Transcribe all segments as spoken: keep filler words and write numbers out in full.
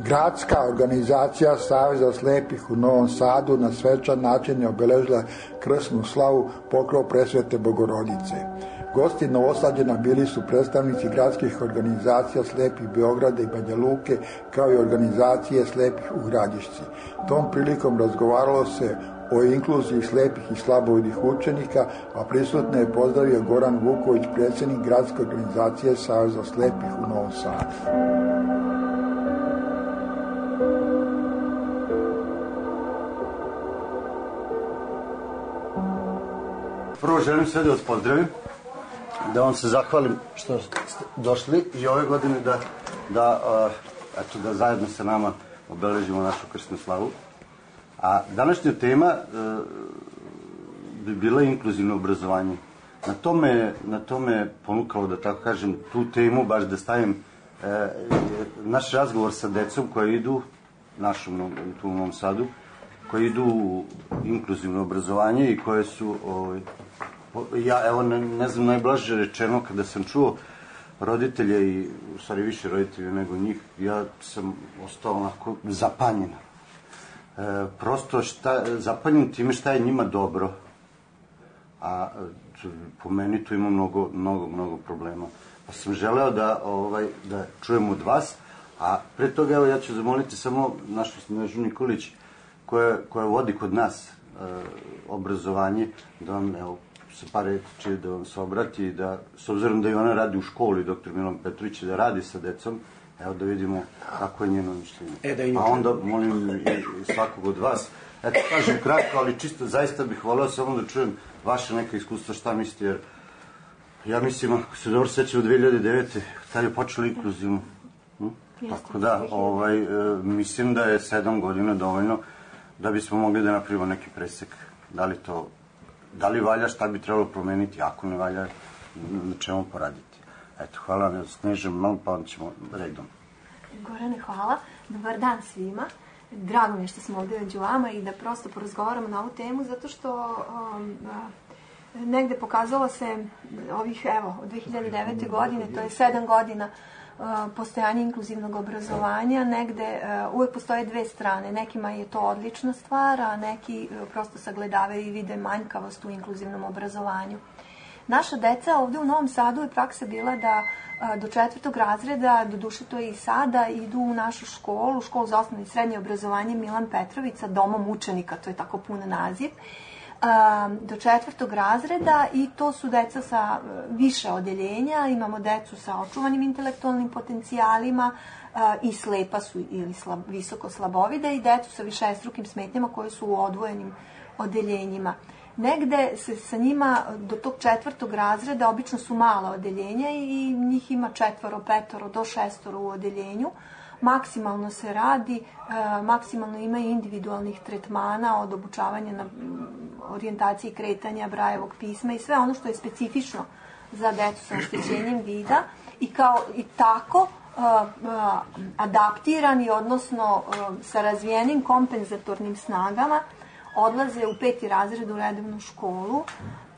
Gradska organizacija Saveza slepih u Novom Sadu na svečan način je obeležila krsnu slavu pokrov Presvete Bogorodice. Gosti Novosađana bili su predstavnici gradskih organizacija slepih Beograda i Banja Luke, kao i organizacije slepih u Gradišci. Tom prilikom razgovaralo se o inkluziji slepih i slabovidih učenika, a prisutne je pozdravio Goran Vuković, predsjednik Gradske organizacije Saveza slepih u Novom Sadu. Prvo želim sve da vas pozdravim, da vam se zahvalim što ste došli i ove godine da, da, uh, eto, da zajedno sa nama obeležimo našu krsnu slavu. A današnja tema uh, bi bila inkluzivno obrazovanje. Na tome, na tome ponukalo, da tako kažem, tu temu baš da stavim uh, naš razgovor sa decom koje idu, našom tu u Novom Sadu, koji idu u inkluzivno obrazovanje i koje su, ovaj, ja evo ne, ne znam najblaže rečeno, kada sam čuo roditelje i u stvari više roditelja nego njih, ja sam ostao onako zapanjen. E, prosto šta, zapanjen time šta je njima dobro, a po meni tu ima mnogo, mnogo, mnogo problema. Pa sam želeo da, ovaj, da čujem od vas, a pre toga evo ja ću zamoliti samo našu Snežu Nikolić, koja, koja vodi kod nas e, obrazovanje, da vam, evo, sa par reči da vam se obrati, da, s obzirom da i ona radi u školi, doktor Milan Petrović, da radi sa decom, evo da vidimo kako je njeno mišljenje. E, da inače. A onda molim i svakog od vas, eto kažem kratko, ali čisto zaista bih voleo samo da čujem vaše neka iskustva, šta mislite, jer ja mislim, ako se dobro sećam, u dve hiljade devete. tad je počelo inkluzivno. Hm? Tako da, ovaj, e, mislim da je sedam godina dovoljno da bismo mogli da napravimo neki presek. Da li to, da li valja, šta bi trebalo promeniti, ako ne valja, na čemu poraditi. Eto, hvala vam, Snežem, malo pa onda ćemo redom. Gorane, hvala. Dobar dan svima. Drago mi je što smo ovdje među vama i da prosto porazgovaramo na ovu temu, zato što um, negde pokazalo se ovih, evo, od dve hiljade devete. godine, to je sedam godina uh, postojanja inkluzivnog obrazovanja, negde uh, uvek postoje dve strane. Nekima je to odlična stvar, a neki uh, prosto sagledavaju i vide manjkavost u inkluzivnom obrazovanju. Naša deca ovdje u Novom Sadu je praksa bila da a, do četvrtog razreda, do duše to je i sada, idu u našu školu, školu za osnovno i srednje obrazovanje Milan Petrović sa domom učenika, to je tako pun naziv, a, do četvrtog razreda, i to su deca sa a, više odeljenja. Imamo decu sa očuvanim intelektualnim potencijalima a, i slepa su ili slab, visoko slabovide, i decu sa višestrukim smetnjama koje su u odvojenim odeljenjima. Negde se sa njima do tog četvrtog razreda obično su mala odeljenja i njih ima četvoro, petoro, do šestoro u odeljenju. Maksimalno se radi, e, maksimalno ima i individualnih tretmana od obučavanja na orijentaciji kretanja, Brajevog pisma i sve ono što je specifično za decu sa oštećenjem vida, i kao i tako e, e, adaptirani, odnosno e, sa razvijenim kompenzatornim snagama, odlaze u peti razred u redovnu školu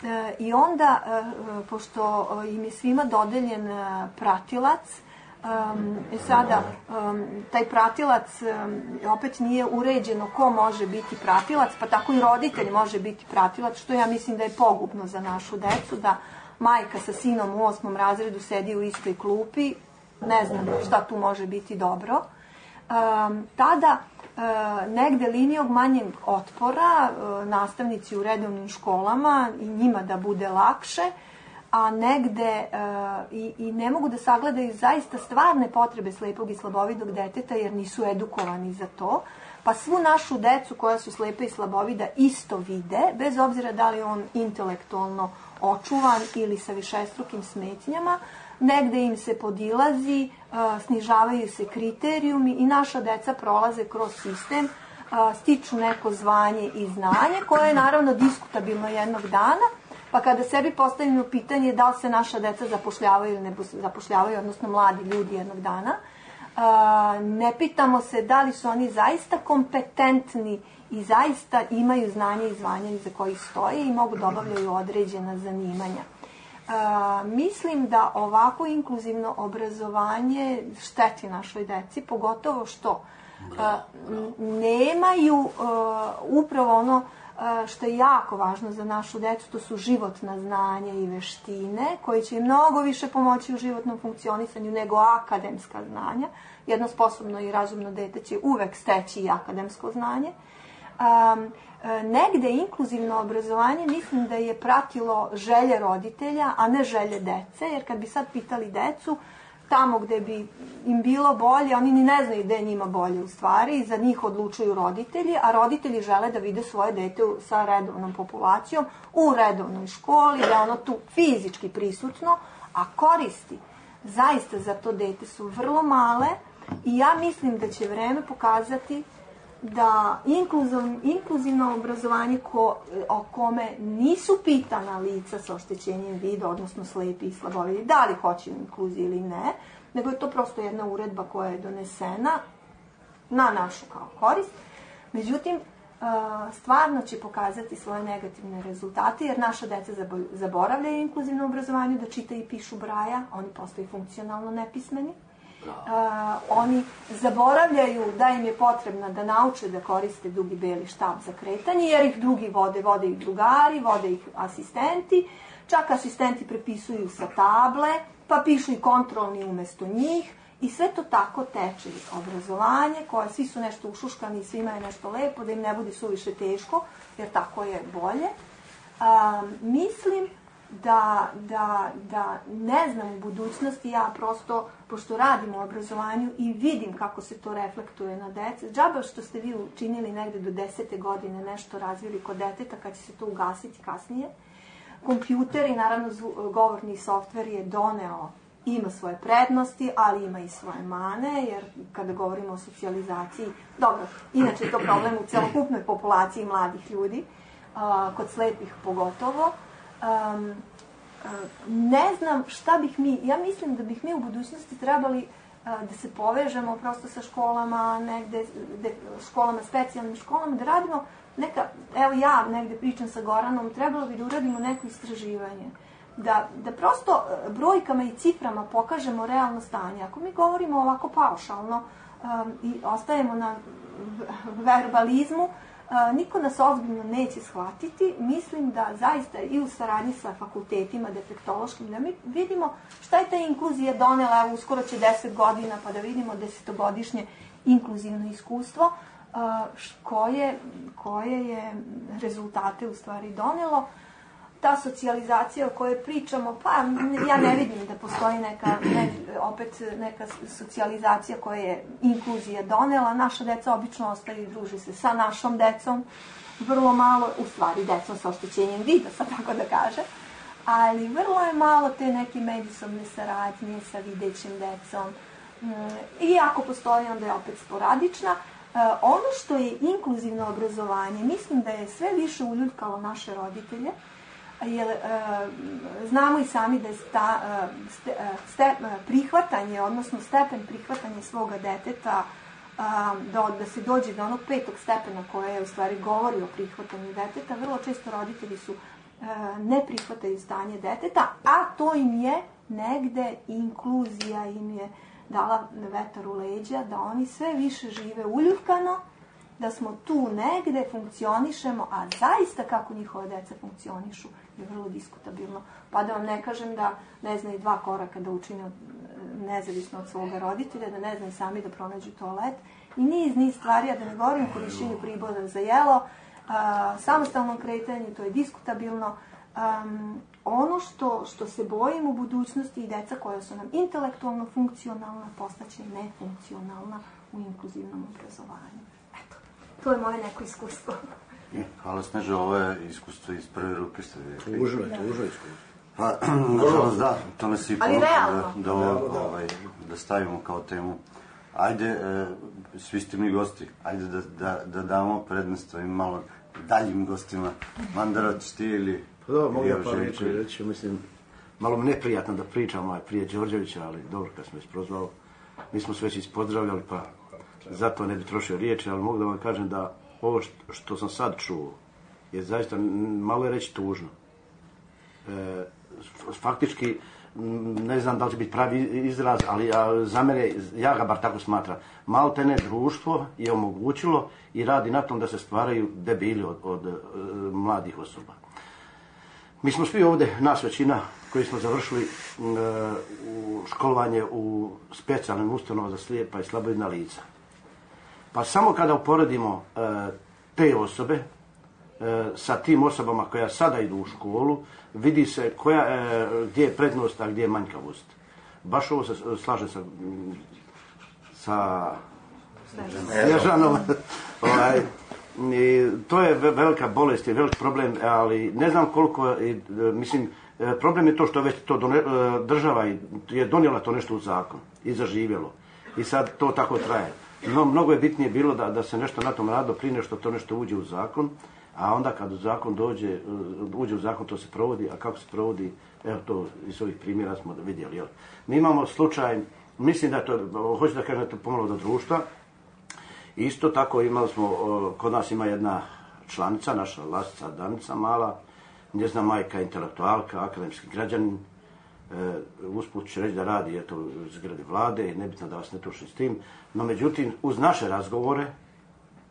e, i onda, e, pošto im je svima dodeljen e, pratilac, e, sada e, taj pratilac e, opet nije uređeno ko može biti pratilac, pa tako i roditelj može biti pratilac, što ja mislim da je pogubno za našu decu, da majka sa sinom u osmom razredu sedi u istoj klupi, ne znam šta tu može biti dobro. E, tada E, negde linijog manjeg otpora, e, nastavnici u redovnim školama i njima da bude lakše, a negde e, i, i ne mogu da sagledaju zaista stvarne potrebe slepog i slabovidog deteta, jer nisu edukovani za to, pa svu našu decu koja su slepe i slabovida isto vide, bez obzira da li on intelektualno očuvan ili sa višestrukim smetnjama. Negde im se podilazi, snižavaju se kriterijumi i naša deca prolaze kroz sistem, stiču neko zvanje i znanje, koje je naravno diskutabilno jednog dana, pa kada sebi postavimo pitanje da li se naša deca zapošljavaju ili ne zapošljavaju, odnosno mladi ljudi jednog dana, ne pitamo se da li su oni zaista kompetentni i zaista imaju znanje i zvanje za koji stoje i mogu da obavljaju određena zanimanja. mislim da ovako inkluzivno obrazovanje šteti našoj deci, pogotovo što nemaju upravo ono što je jako važno za našu decu, to su životna znanja i veštine, koji će im mnogo više pomoći u životnom funkcionisanju nego akademska znanja. Jedno sposobno i razumno dete će uvek steći i akademsko znanje. Um, negde inkluzivno obrazovanje mislim da je pratilo želje roditelja, a ne želje dece, jer kad bi sad pitali decu, tamo gde bi im bilo bolje, oni ni ne znaju gde je njima bolje u stvari, za njih odlučuju roditelji, a roditelji žele da vide svoje dete sa redovnom populacijom, u redovnoj školi, da je ono tu fizički prisutno, a koristi zaista za to dete su vrlo male i ja mislim da će vreme pokazati da inkluzivno obrazovanje ko, o kome nisu pitana lica sa oštećenjem vida, odnosno slepi i slabovidi, da li hoće inkluziju ili ne, nego je to prosto jedna uredba koja je donesena na našu kao korist. Međutim, stvarno će pokazati svoje negativne rezultate, jer naša deca zaboravljaju inkluzivno obrazovanje, da čitaju i pišu braja, oni postaju funkcionalno nepismeni. Uh, oni zaboravljaju da im je potrebno da nauče da koriste dugi beli štab za kretanje, jer ih drugi vode, vode ih drugari, vode ih asistenti, čak asistenti prepisuju sa table, pa pišu i kontrolni umesto njih i sve to tako teče obrazovanje, koje svi su nešto ušuškani i svima je nešto lepo, da im ne bude suviše teško, jer tako je bolje. Uh, mislim Da, da, da ne znam u budućnosti, ja prosto, pošto radim u obrazovanju i vidim kako se to reflektuje na dece, džaba što ste vi učinili negde do desete godine nešto razvili kod deteta, kad će se to ugasiti kasnije. Kompjuter i naravno govorni softver je doneo, ima svoje prednosti, ali ima i svoje mane, jer kada govorimo o socijalizaciji, dobro, inače je to problem u celokupnoj populaciji mladih ljudi, kod slepih pogotovo. Um, uh, ne znam šta bih mi, ja mislim da bih mi u budućnosti trebali uh, da se povežemo prosto sa školama, negde, de, školama, specijalnim školama, da radimo neka, evo ja negde pričam sa Goranom, trebalo bi da uradimo neko istraživanje, da, da prosto brojkama i ciframa pokažemo realno stanje. Ako mi govorimo ovako paušalno um, i ostajemo na verbalizmu, Uh, niko nas ozbiljno neće shvatiti. Mislim da zaista i u saradnji sa fakultetima defektološkim, da mi vidimo šta je ta inkluzija donela, uskoro će deset godina, pa da vidimo desetogodišnje inkluzivno iskustvo, uh, koje, koje je rezultate u stvari donelo. Ta socijalizacija o kojoj pričamo, pa ja ne vidim da postoji neka, ne, opet neka socijalizacija koja je inkluzija donela. Naša deca obično ostaju i druži se sa našom decom, vrlo malo, u stvari decom sa oštećenjem vida, sad tako da kaže, ali vrlo je malo te neke međusobne saradnje sa videćim decom. I ako postoji, onda je opet sporadična. Ono što je inkluzivno obrazovanje, mislim da je sve više uljuljkalo naše roditelje, jer e, znamo i sami da je sta, ste, ste, prihvatanje, odnosno stepen prihvatanja svoga deteta, a, do, da se dođe do onog petog stepena koje je u stvari govori o prihvatanju deteta, vrlo često roditelji su a, ne prihvataju stanje deteta, a to im je negde inkluzija im je dala vetar u leđa, da oni sve više žive uljuljkano, da smo tu negde, funkcionišemo, a zaista kako njihove deca funkcionišu je vrlo diskutabilno. Pa da vam ne kažem da ne znaju dva koraka da učine nezavisno od svoga roditelja, da ne znaju sami da pronađu toalet i niz, niz stvari, a da ne govorim o korišćenju pribora za jelo, a, samostalnom kretanju, to je diskutabilno. Um, ono što, što se bojim u budućnosti i deca koja su nam intelektualno funkcionalna postaće nefunkcionalna u inkluzivnom obrazovanju. Eto, to je moje neko iskustvo. Hvala Sneže, ovo je iskustvo iz prve ruke ste rekli. Tužno je, tužno je iskustvo. Pa, nažalost da, to nas i ponukalo da, da, ovaj, da stavimo kao temu. Ajde, e, svi ste mi gosti, ajde da, da, da damo prednost ovim malo daljim gostima. Mandara, ćeš ti ili... Pa dobro, mogu ja par reći, reći, mislim, malo mi neprijatno da pričam ovaj, prije Đorđevića, ali dobro, kad smo isprozvali, mi smo se već ispozdravljali, pa zato ne bi trošio riječi, ali mogu da vam kažem da ovo što, što sam sad čuo je zaista, malo je reći tužno. E, faktički, ne znam da li će biti pravi izraz, ali za mene, ja ga bar tako smatram, maltene društvo je omogućilo i radi na tom da se stvaraju debili od, od mladih osoba. Mi smo svi ovdje, nas većina, koji smo završili uh, u školovanje u specijalnim ustanovama za slijepa i slabovidna lica. Pa samo kada uporedimo uh, te osobe uh, sa tim osobama koja sada idu u školu, vidi se koja, uh, gdje je prednost, a gdje je manjkavost. Baš ovo se slaže sa, sa Snježanom. ovaj, I to je velika bolest i velik problem, ali ne znam koliko, mislim, problem je to što već to done, država je donijela to nešto u zakon i zaživjelo. I sad to tako traje. No, mnogo je bitnije bilo da, da se nešto na tom rado prije nešto to nešto uđe u zakon, a onda kad zakon dođe, uđe u zakon to se provodi, a kako se provodi, evo to iz ovih primjera smo vidjeli. Jel? Mi imamo slučaj, mislim da to, hoću da kažem da to pomalo do društva. Isto tako imali smo, kod nas ima jedna članica, naša Lasica Danica mala, njezina majka intelektualka, akademski građanin, e, usput će reći da radi eto, u zgradi vlade, nebitno da vas ne tušim s tim, no međutim uz naše razgovore,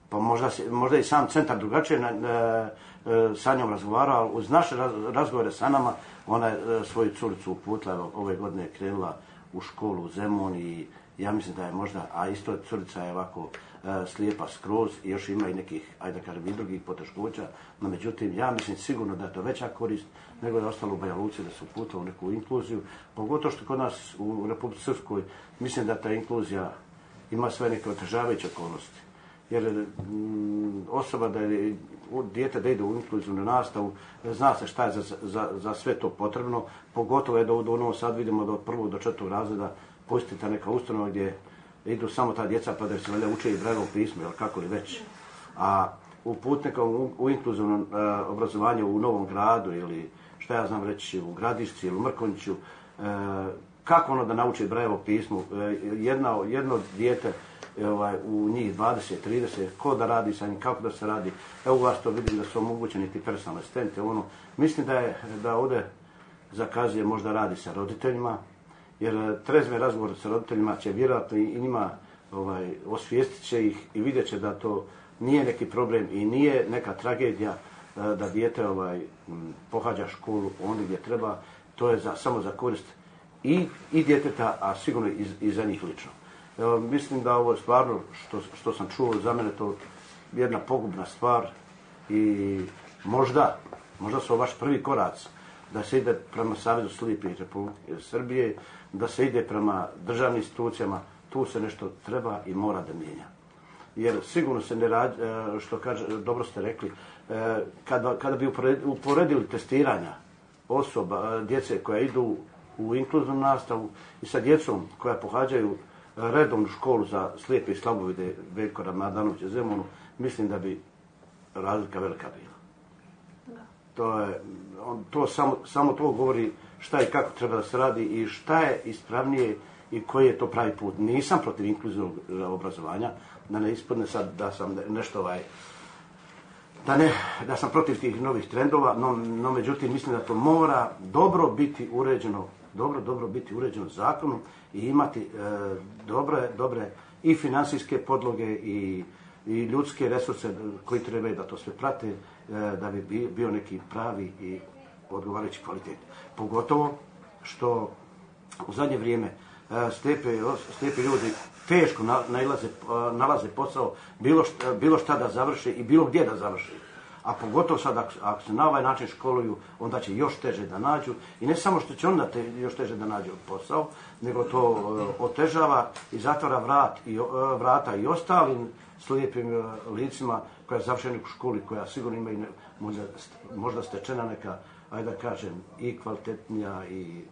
pa možda, možda i sam centar drugačije e, e, sa njom razgovarao, ali uz naše raz, razgovore sa nama, ona je e, svoju curicu uputila, ove godine je krenula u školu u Zemun i ja mislim da je možda, a isto curica je ovako e, slijepa skroz i još ima i nekih, ajde da kažem, i drugih poteškoća, no međutim, ja mislim sigurno da je to veća korist nego da je ostalo u Banja Luci da se uputilo u neku inkluziju, pogotovo što kod nas u Republici Srpskoj mislim da ta inkluzija ima sve neke otežavajuće okolnosti. Jer m, osoba da je, dijete da ide u inkluzivnu nastavu, zna se šta je za, za, za sve to potrebno, pogotovo je da u Novom Sadu vidimo da od prvog do četvrtog razreda postoji ta neka ustanova gdje idu samo ta djeca pa da se valjda uče i Brailleovo pismo, ili kako li već. A u putnikom, u, u inkluzivnom uh, obrazovanju u Novom Gradu ili šta ja znam reći u Gradišci ili u Mrkonjiću, uh, kako ono da nauči Brailleovo pismo, uh, jedna, jedno dijete ovaj, u njih dvadeset trideset, ko da radi sa njim, kako da se radi. Evo u vas to vidim da su omogućeni ti personalne asistente. Ono, mislim da je da ovdje zakazuje možda radi sa roditeljima, jer trezme razgovor sa roditeljima će vjerojatno i njima ovaj, osvijestit će ih i vidjet će da to nije neki problem i nije neka tragedija da dijete ovaj, pohađa školu ondje gdje treba. To je za, samo za korist i, i djeteta, a sigurno i, i za njih lično. Evo, mislim da ovo je stvarno, što, što sam čuo, za mene to jedna pogubna stvar i možda, možda su vaš prvi korac da se ide prema Savezu slijepih Republike Srbije, da se ide prema državnim institucijama, tu se nešto treba i mora da mijenja. Jer sigurno se ne radi, što kaže, dobro ste rekli, kada, kada bi uporedili testiranja osoba, djece koja idu u inkluzivnu nastavu i sa djecom koja pohađaju redovnu školu za slijepe i slabovide Veljko Ramadanovića Zemunu, mislim da bi razlika velika bila. To, je, on, to samo, samo to govori šta i kako treba da se radi i šta je ispravnije i koji je to pravi put. Nisam protiv inkluzivnog obrazovanja, da ne ispadne sad da sam nešto ovaj, da, ne, da sam protiv tih novih trendova, no, no međutim mislim da to mora dobro biti uređeno, dobro, dobro biti uređeno zakonom i imati e, dobre, dobre i financijske podloge i, i ljudske resurse koji trebaju da to sve prate, e, da bi bio neki pravi i odgovarajući kvalitet. Pogotovo što u zadnje vrijeme e, slijepe, slijepi ljudi teško nalaze, nalaze posao bilo šta, bilo šta da završe i bilo gdje da završe. A pogotovo sad ako, ako se na ovaj način školuju, onda će još teže da nađu. I ne samo što će onda te, još teže da nađu posao, nego to uh, otežava i zatvara vrat i, uh, vrata i ostalim slijepim uh, licima koja završeni u školi, koja sigurno ima i ne, možda, možda stečena neka, ajde da kažem, i kvalitetnija i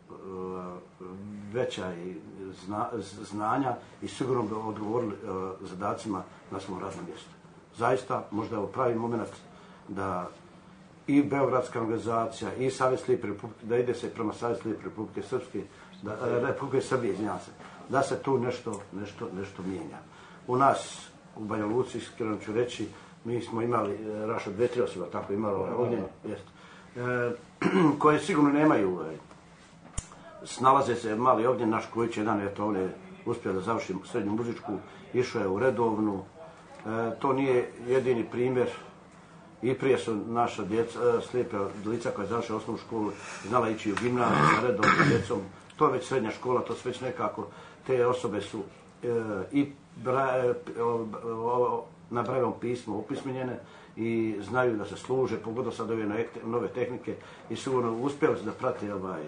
uh, veća i zna, znanja i sigurno bi odgovorili uh, zadacima na svom radnom mjestu. Zaista, možda je ovo pravi moment da i Beogradska organizacija i Savez slijepe Republike, da ide se prema Savez slijepe Republike Srpske, da, Republike Srbije, izvinjavam se, da se tu nešto, nešto, nešto mijenja. U nas, u Banja Luci, iskreno ću reći, mi smo imali, Raša, dve, tri osoba, tako imalo ovaj ognjen, jest. e, koje sigurno nemaju, e, snalaze se mali Ognjen, naš Kojić jedan, eto on je uspio da završi srednju muzičku, išao je u redovnu. E, to nije jedini primjer. I prije su naša djeca, slijepe lica koja je završila osnovnu školu, znala ići u gimnaziju sa redovnom djecom. To je već srednja škola, to su već nekako, te osobe su e, i bra, e, o, na brajevom pismu opismenjene i znaju da se služe, pogotovo sad ove nove tehnike i sigurno uspjeli su da prate ovaj,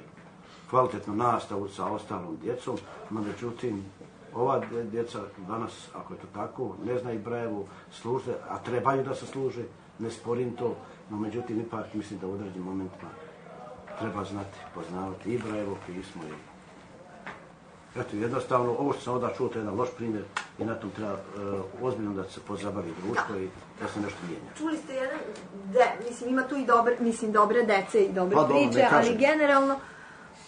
kvalitetnu nastavu sa ostalom djecom, no međutim, ova djeca danas, ako je to tako, ne znaju brajevu, služe, a trebaju da se služe, ne sporim to, no međutim, ipak mislim da u određenim momentima treba znati, poznavati i brajevo pismo. I... Eto, jednostavno, ovo što sam onda čuo, to je jedan loš primjer i na tom treba uh, ozbiljno da se pozabavi društvo i da se nešto mijenja. Čuli ste jedan, de, mislim, ima tu i dobre, mislim, dobre dece i dobre pa, dobro, priče, ali generalno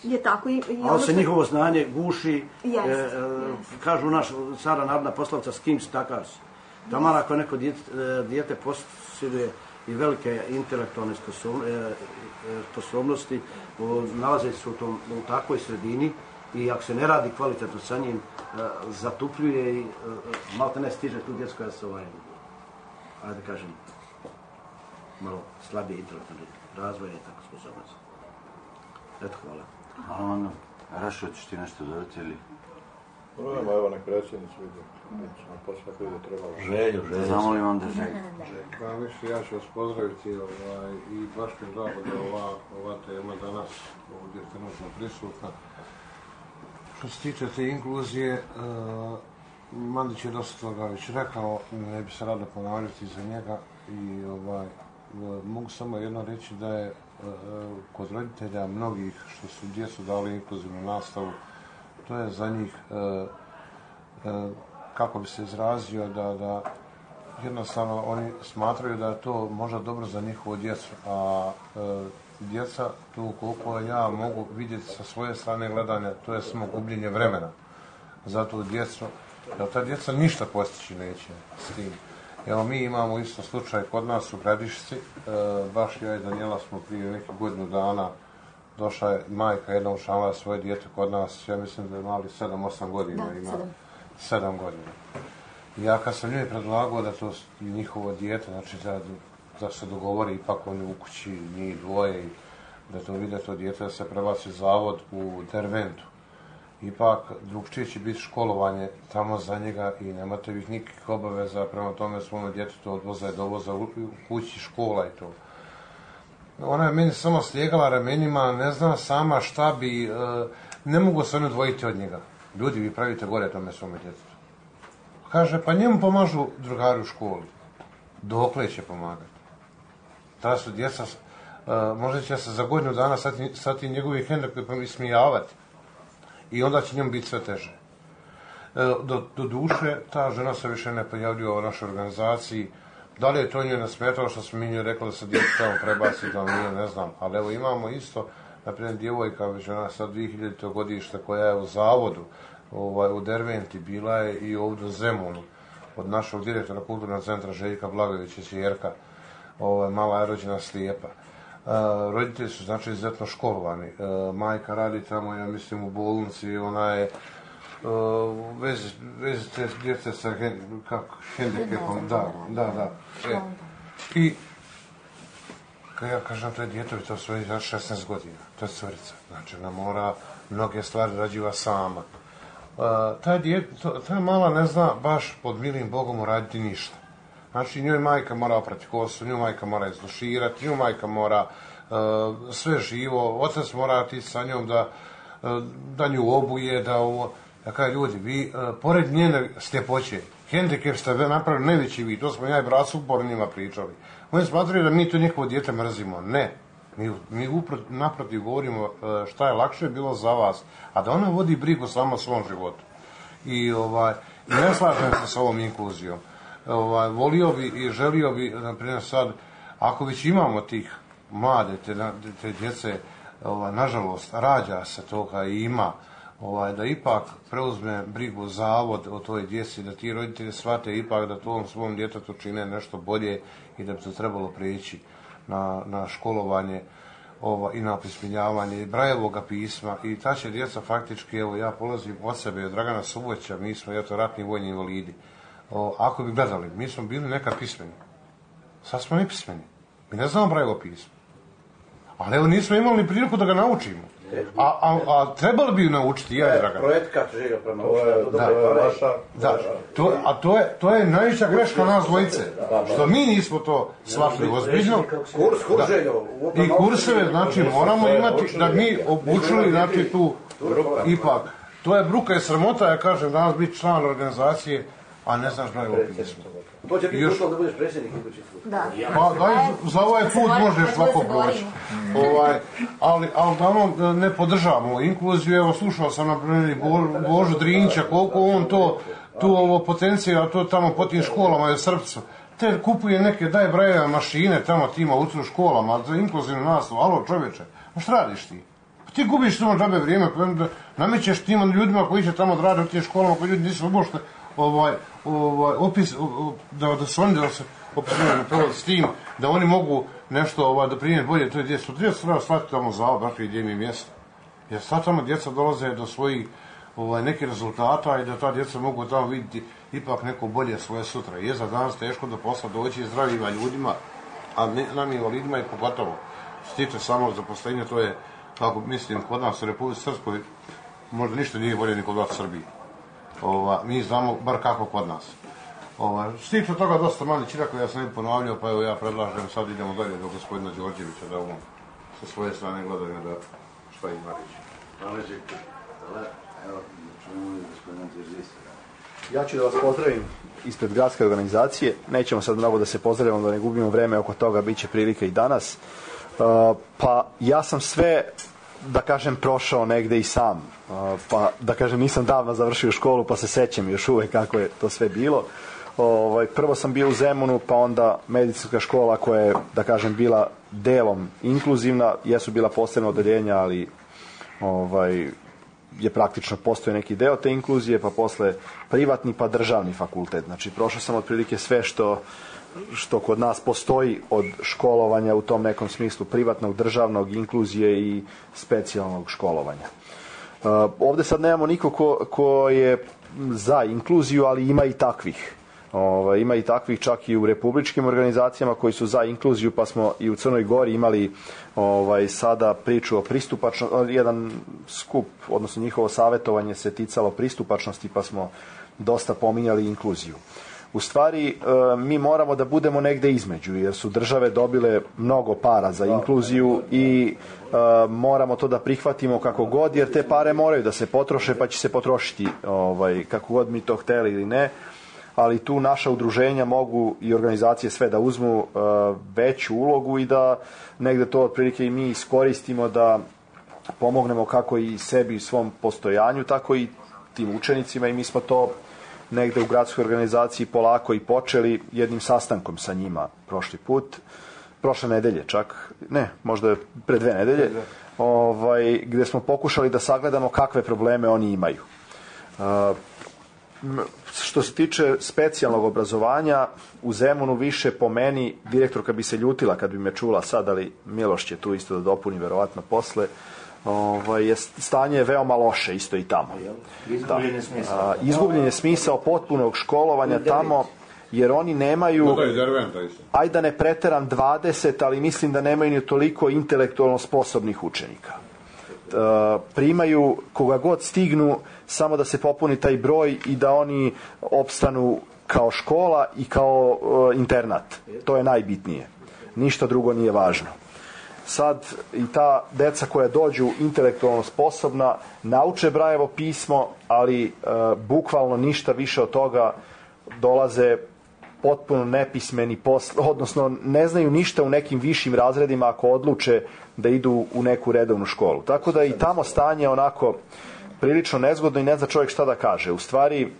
je tako i, i ali se što... njihovo znanje guši, yes, e, yes. Kažu naš cara narodna poslovica, s kim si takav si. Taman ako neko dijete, dijete posjeduje i velike intelektualne sposobnosti, nalaze se u, tom, u takvoj sredini i ako se ne radi kvalitetno sa njim, zatupljuje i malo te ne stiže tu djecu koja se ovaj, ajde kažem, malo slabije intelektualne razvoje i tako sposobnosti. Eto, hvala. Hvala vam. Rašo, ćeš ti nešto dodati ili? Problema, evo nek predsjednicu vidim. Na posle koji je trebalo. Želju, želju. Zamolim onda želju. Pa više, ja ću vas pozdraviti ovaj, i baš mi je drago da ova, ova tema danas ovdje trenutno prisutna. Što se tiče te inkluzije, uh, Mandić je dosta toga već rekao, ne bi se rado ponavljati za njega i ovaj, uh, mogu samo jedno reći da je uh, kod roditelja mnogih što su djecu dali inkluzivnu nastavu, to je za njih, uh, uh, kako bi se izrazio, da, da jednostavno oni smatraju da je to možda dobro za njihovu djecu, a uh, djeca, tu koliko ja mogu vidjeti sa svoje strane gledanja, to je samo gubljenje vremena za tu djecu, jer ta djeca ništa postići neće s tim. Evo, mi imamo isto slučaj kod nas u Gradišci, e, baš ja i Danijela smo prije nekih godinu dana, došla je majka jedna učlanila svoje dijete kod nas, ja mislim da je mali sedam osam godina, da, ima sedam godina. I ja kad sam njoj predlagao da to njihovo dijete, znači da, da se dogovori ipak oni u kući, njih dvoje, i da to vide to dijete, da se prebaci zavod u Derventu. Ipak drugčije će biti školovanje tamo za njega i nemate vi nikakvih obaveza prema tome svome djetetu odvoza i dovoza u kući, škola i to. Ona je meni samo slijegala ramenima, ne znam sama šta bi, ne mogu se oni odvojiti od njega. Ljudi, vi pravite gore tome svome djetetu. Kaže, pa njemu pomažu drugari u školi. Dokle će pomagati? Ta su djeca, možda će se za godinu dana sad ti njegovi hendikepi ismijavati. I onda će njemu biti sve teže. Do, do duše, ta žena se više ne pojavljuje u našoj organizaciji. Da li je to njoj nasmetalo što smo mi njoj rekli da se djeca tamo prebaci, da nije, ne znam. Ali evo imamo isto, naprimjer, djevojka, već ona sad dvije hiljadite godište koja je u zavodu, ovaj, u Derventi, bila je i ovdje u Zemunu, od našeg direktora kulturnog centra Željka Blagovića, Čerka, ovaj, mala je rođena slijepa. Uh, roditelji su znači izuzetno školovani. Uh, majka radi tamo, ja mislim, u bolnici, ona je uh, vezi, vezi te djece sa hen, kako, hendikepom, da, da, da. E, I kad ja kažem to je djetovi, to su šesnaest godina, to je curica, znači ona mora mnoge stvari rađiva sama. Uh, taj djet, to, ta mala ne zna baš pod milim Bogom uraditi ništa. Znači, njoj majka mora oprati kosu, njoj majka mora izluširati, njoj majka mora uh, sve živo, otac mora otići sa njom da, uh, da nju obuje, da ovo... Ja kažem, ljudi, vi, uh, pored njene sljepoće, hendikep ste napravili najveći vi, to smo ja i brat su uporno njima pričali. Oni smatraju da mi to njihovo dijete mrzimo. Ne. Mi, mi upro, naprotiv govorimo uh, šta je lakše bilo za vas, a da ona vodi brigu samo o svom životu. I, ovaj, i ne slažem se sa ovom inkluzijom. Ovaj, volio bi i želio bi, naprimjer sad, ako već imamo tih mlade, te, te djece, ovaj, nažalost, rađa se toga i ima, ovaj, da ipak preuzme brigu zavod o toj djeci, da ti roditelji shvate ipak da tom svom djetetu čine nešto bolje i da bi to trebalo prijeći. na, na školovanje ova, i na opismenjavanje Brajevoga pisma i ta će djeca faktički, evo ja polazim od sebe, od Dragana Suboća, mi smo eto ratni vojni invalidi. O, ako bi gledali, mi smo bili neka pismeni. Sad smo nepismeni. Mi ne znamo Brajevo pismo. Ali evo nismo imali ni priliku da ga naučimo. A, a, a trebali bi ju naučiti, ja je Dragan. Projekat želja prema da, da, to, a to je, to je najveća greška nas dvojice. Što mi nismo to shvatili ozbiljno. Kurs, kurs željo. I kurseve, znači, moramo imati da mi obučili, znači, tu ipak. To je bruka i sramota, ja kažem, danas biti član organizacije, a ne znaš Brajevo pismo. To će biti uslov da budeš predsjednik idući put. Da. Pa daj, za ovaj put možeš lako proći. Ovaj, ali, ali da ne podržavamo inkluziju, evo slušao sam na primjer Bo, Božu Drinjića, koliko on to, tu ovo potencija, to tamo po tim školama je srpcu. Te kupuje neke, daj Brajeve mašine tamo tima u školama, za inkluzivnu nastavu, alo čovječe, a šta radiš ti? Pa ti gubiš samo džabe vrijeme, namećeš tim ljudima koji će tamo rade u tim školama, koji ljudi nisu obošte ovaj, ovaj, opis, da, da su oni da se opisuju s tim, da oni mogu nešto ovaj, da primjer bolje, to je djeca. Djeca treba shvatiti tamo za baš gdje im je mjesto. Jer sad tamo djeca dolaze do svojih ovaj, nekih rezultata i da ta djeca mogu tamo vidjeti ipak neko bolje svoje sutra. Je za danas teško do posla doći zdravima ljudima, a ne, nam invalidima i pogotovo. Što tiče samo zaposlenja, to je, kako mislim, kod nas u Republici Srpskoj možda ništa nije bolje ni kod vas u Srbiji. Ova, mi znamo bar kako kod nas. Ova, što tiče toga dosta mali čiraka, ja sam ne ponavljao, pa evo ja predlažem, sad idemo dalje do gospodina Đorđevića, da on sa svoje strane gledaju da šta ima reći. Hvala Željko. Evo, čujemo gospodina Đorđevića. Ja ću da vas pozdravim ispred gradske organizacije. Nećemo sad mnogo da se pozdravimo, da ne gubimo vreme oko toga, bit će prilike i danas. Uh, pa ja sam sve, da kažem, prošao negde i sam. Uh, pa da kažem, nisam davno završio školu, pa se sećam još uvek kako je to sve bilo. Ovaj, prvo sam bio u Zemunu, pa onda medicinska škola koja je, da kažem, bila delom inkluzivna. Jesu bila posebna odeljenja, ali ovaj, je praktično postoje neki deo te inkluzije, pa posle privatni, pa državni fakultet. Znači, prošao sam otprilike sve što, što kod nas postoji od školovanja u tom nekom smislu privatnog, državnog, inkluzije i specijalnog školovanja. Uh, ovde sad nemamo niko ko, ko je za inkluziju, ali ima i takvih. Ovaj, ima i takvih čak i u republičkim organizacijama koji su za inkluziju, pa smo i u Crnoj Gori imali ovaj, sada priču o pristupačnosti, jedan skup, odnosno njihovo savjetovanje se ticalo pristupačnosti, pa smo dosta pominjali inkluziju. U stvari, e, mi moramo da budemo negde između, jer su države dobile mnogo para za inkluziju i e, moramo to da prihvatimo kako god, jer te pare moraju da se potroše, pa će se potrošiti ovaj, kako god mi to hteli ili ne. Ali tu naša udruženja mogu i organizacije sve da uzmu uh, veću ulogu i da negde to otprilike i mi iskoristimo da pomognemo kako i sebi i svom postojanju, tako i tim učenicima i mi smo to negde u gradskoj organizaciji polako i počeli jednim sastankom sa njima prošli put, prošle nedelje čak, ne, možda pre dve nedelje, ovaj, gde smo pokušali da sagledamo kakve probleme oni imaju. Uh, Što se tiče specijalnog obrazovanja, u Zemunu više po meni, direktorka bi se ljutila kad bi me čula sad, ali Miloš će tu isto da dopuni verovatno posle, ovaj, je, stanje je veoma loše isto i tamo. Izgubljen je smisao. A, izgubljen je smisao potpunog školovanja tamo, jer oni nemaju, ajde da ne preteram dvadeset, ali mislim da nemaju ni toliko intelektualno sposobnih učenika. Uh, primaju koga god stignu samo da se popuni taj broj i da oni opstanu kao škola i kao uh, internat. To je najbitnije. Ništa drugo nije važno. Sad i ta deca koja dođu intelektualno sposobna nauče Brajevo pismo, ali uh, bukvalno ništa više od toga, dolaze potpuno nepismeni, posle, odnosno ne znaju ništa u nekim višim razredima ako odluče da idu u neku redovnu školu. Tako da i tamo stanje onako prilično nezgodno i ne zna čovjek šta da kaže. U stvari,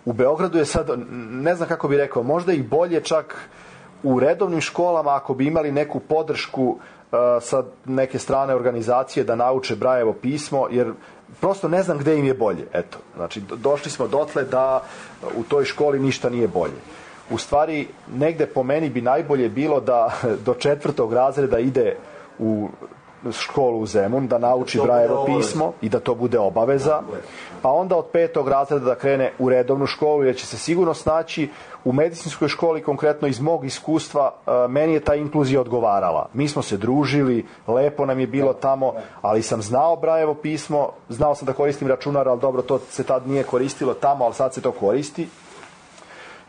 u Beogradu je sad, ne znam kako bi rekao, možda i bolje čak u redovnim školama ako bi imali neku podršku uh, sa neke strane organizacije da nauče Brajevo pismo, jer prosto ne znam gde im je bolje. Eto, znači, došli smo dotle da u toj školi ništa nije bolje. u stvari negde po meni bi najbolje bilo da do četvrtog razreda ide u školu u Zemun, da nauči Brajevo pismo i da to bude obaveza, pa onda od petog razreda da krene u redovnu školu, jer će se sigurno snaći. U medicinskoj školi, konkretno iz mog iskustva, meni je ta inkluzija odgovarala. Mi smo se družili, lepo nam je bilo tamo, ali sam znao Brajevo pismo, znao sam da koristim računar, ali dobro, to se tad nije koristilo tamo, ali sad se to koristi.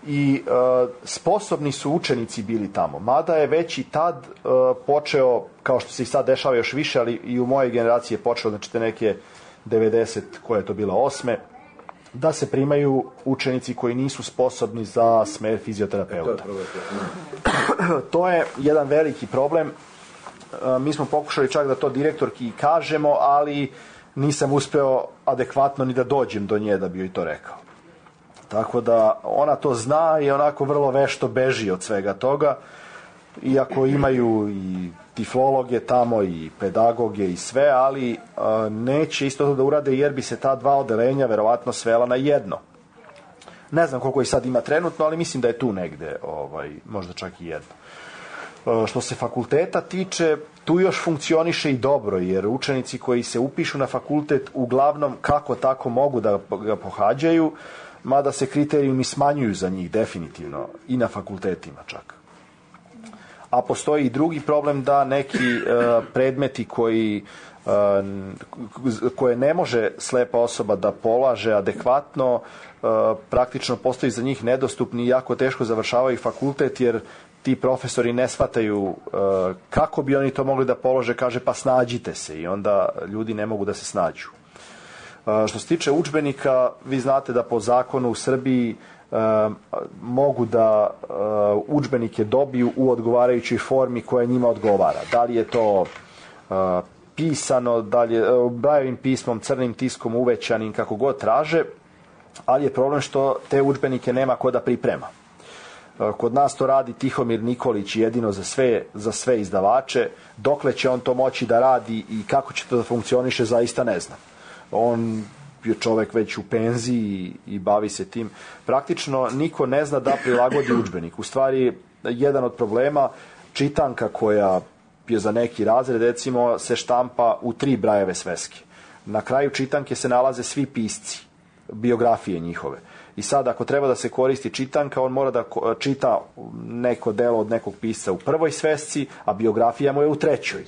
I e, sposobni su učenici bili tamo, mada je već i tad e, počeo, kao što se i sad dešava još više, ali i u mojoj generaciji je počeo, znači te neke devedeset, koje je to bila osme, da se primaju učenici koji nisu sposobni za smer fizioterapeuta. To je jedan veliki problem. E, mi smo pokušali čak da to direktorki kažemo, ali nisam uspeo adekvatno ni da dođem do nje da bi joj to rekao. Tako da ona to zna i onako vrlo vešto beži od svega toga, iako imaju i tiflologe tamo i pedagoge i sve, ali a, neće isto to da urade jer bi se ta dva odelenja verovatno svela na jedno. Ne znam koliko ih sad ima trenutno, ali mislim da je tu negde, ovaj, možda čak i jedno. A, što se fakulteta tiče, tu još funkcioniše i dobro, jer učenici koji se upišu na fakultet uglavnom kako tako mogu da ga pohađaju, mada se kriterijumi smanjuju za njih definitivno i na fakultetima čak. A postoji i drugi problem da neki e, predmeti koji e, koje ne može slepa osoba da polaže adekvatno, e, praktično postoji za njih nedostupni i jako teško završavaju fakultet, jer ti profesori ne shvataju e, kako bi oni to mogli da polože, kaže pa snađite se, i onda ljudi ne mogu da se snađu. Što se tiče udžbenika, vi znate da po zakonu u Srbiji e, mogu da e, udžbenike dobiju u odgovarajućoj formi koja njima odgovara. Da li je to e, pisano, da li je e, Brajevim pismom, crnim tiskom, uvećanim, kako god traže, ali je problem što te udžbenike nema ko da priprema. E, kod nas to radi Tihomir Nikolić jedino za sve, za sve izdavače. Dokle će on to moći da radi i kako će to da funkcioniše, zaista ne znam. On je čovek već u penziji i bavi se tim. Praktično niko ne zna da prilagodi udžbenik. U stvari, jedan od problema, čitanka koja je za neki razred, recimo, se štampa u tri Brajeve sveske. Na kraju čitanke se nalaze svi pisci, biografije njihove. I sad, ako treba da se koristi čitanka, on mora da čita neko delo od nekog pisca u prvoj svesci, a biografija mu je u trećoj.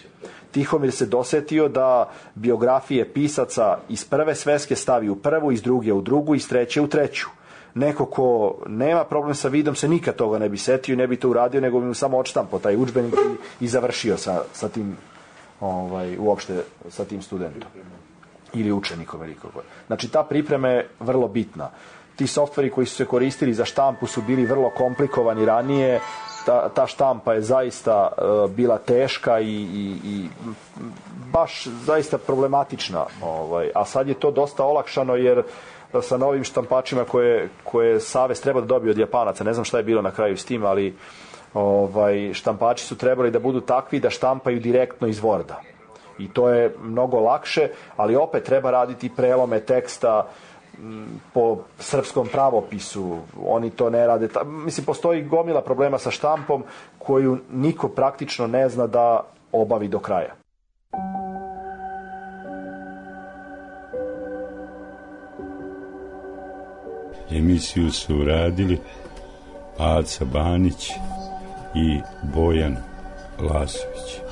Tihomir se dosetio da biografije pisaca iz prve sveske stavi u prvu, iz druge u drugu, iz treće u treću. Neko ko nema problem sa vidom se nikad toga ne bi setio i ne bi to uradio, nego bi mu samo odštampao taj udžbenik i, i završio sa, sa tim, ovaj, uopšte sa tim studentom ili učenikom velikog. Znači ta priprema je vrlo bitna. Ti softveri koji su se koristili za štampu su bili vrlo komplikovani ranije. Ta, ta štampa je zaista uh, bila teška i, i, i baš zaista problematična. Ovaj. A sad je to dosta olakšano jer sa novim štampačima koje, koje Savez treba da dobije od Japanaca, ne znam šta je bilo na kraju s tim, ali ovaj, štampači su trebali da budu takvi da štampaju direktno iz Worda. I to je mnogo lakše, ali opet treba raditi prelome teksta po srpskom pravopisu, oni to ne rade. Mislim, postoji gomila problema sa štampom koju niko praktično ne zna da obavi do kraja. Emisiju su uradili Aca Banić i Bojan Lasović.